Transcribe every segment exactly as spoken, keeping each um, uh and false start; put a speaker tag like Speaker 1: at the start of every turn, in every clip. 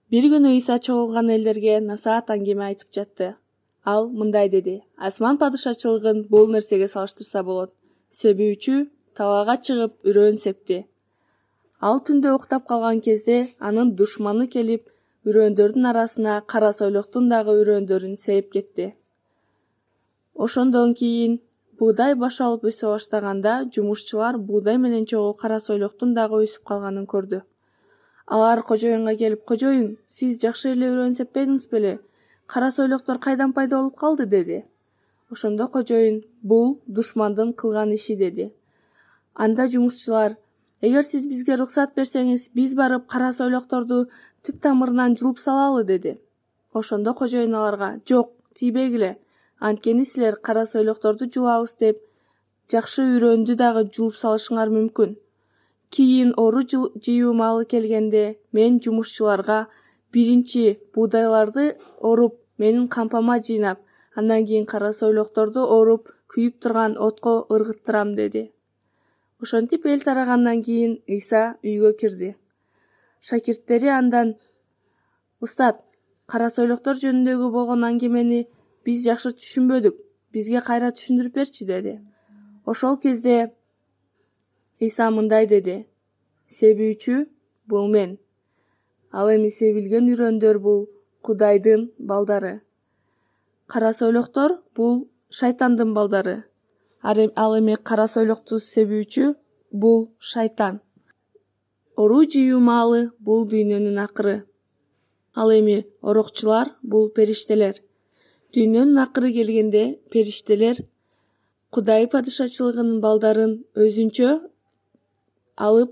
Speaker 1: Бир күнү Иса чогулган элдерге насаат аңгеме айтып жатты. Ал мындай деди: асман падышачылыгын бул нерсеге салыштырса болот. Себүүчү талаага чыгып үрөөн септи. Ал түндө уктап калган кезде анын душманы келип, үрөөндөрдүн арасына кара сойлоктун дагы үрөөндөрүн сээп кетти. Ошондон кийин буудай баш алып өсө баштаганда жумушчулар буудай менен чогуу кара сойлоктун дагы өсүп калганын көрдү. Алар кожоюнга келип: "Кожоюн, сиз жакшы эле үрөөн сеппедиңиз беле? Кара сойлоктор кайдан пайда болуп калды?" деди. Ошондо кожоюн: "Бул душмандын кылган иши" деди. Анда жумушчулар: "Эгер сиз бизге уруксат берсеңиз, биз барып кара сойлокторду түп тамырынан жулуп салалы" деди. Ошондо кожоюн аларга: "Жок, тийбегиле. Анткени силер кара сойлокторду жулабыз деп, жакшы үрөөндү дагы жулуп салышыңар мүмкүн. Кийин ору жыюу маалы келгенде, мен жумушчуларга биринчи буудайларды оруп, менин кампама жыйнап, андан кийин кара сойлокторду оруп, күйүп турган отко ыргыттырам" деди. Ошентип эл тарагандан кийин Иса үйгө кирди. Шакирттери андан: "Устат, кара сойлоктор жөнүндөгү болгон аңгемени биз жакшы түшүнбөдүк. Бизге кайра түшүндүрүп берчи" деди. Ошол кезде Иса мындай деди: "Себүүчү бул мен. Ал эми себилген үрөөндөр бул Кудайдын балдары. Кара сойлоктор бул шайтандын балдары. Ал эми кара сойлокту себүүчү бул шайтан. Ору жыюу маалы бул дүйнөнүн акыры. Ал эми орокчулар бул периштелер. Дүйнөнүн акыры келгенде периштелер Кудай падышачылыгынын балдарын өзүнчө алып,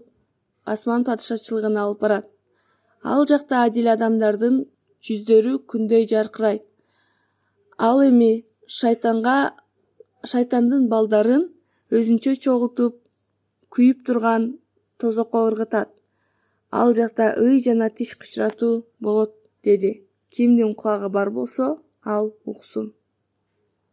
Speaker 1: асман падышачылыгына алып барат. Ал жакта адил адамдардын жүздөрү күндөй жаркырайт. Ал эми шайтанга шайтандын балдарын өзүнчө чогултуп, күйүп турган тозокко ыргытат. Ал жакта ый жана тиш кычыратуу болот" деди. Кимдин кулагы бар болсо, ал уксун.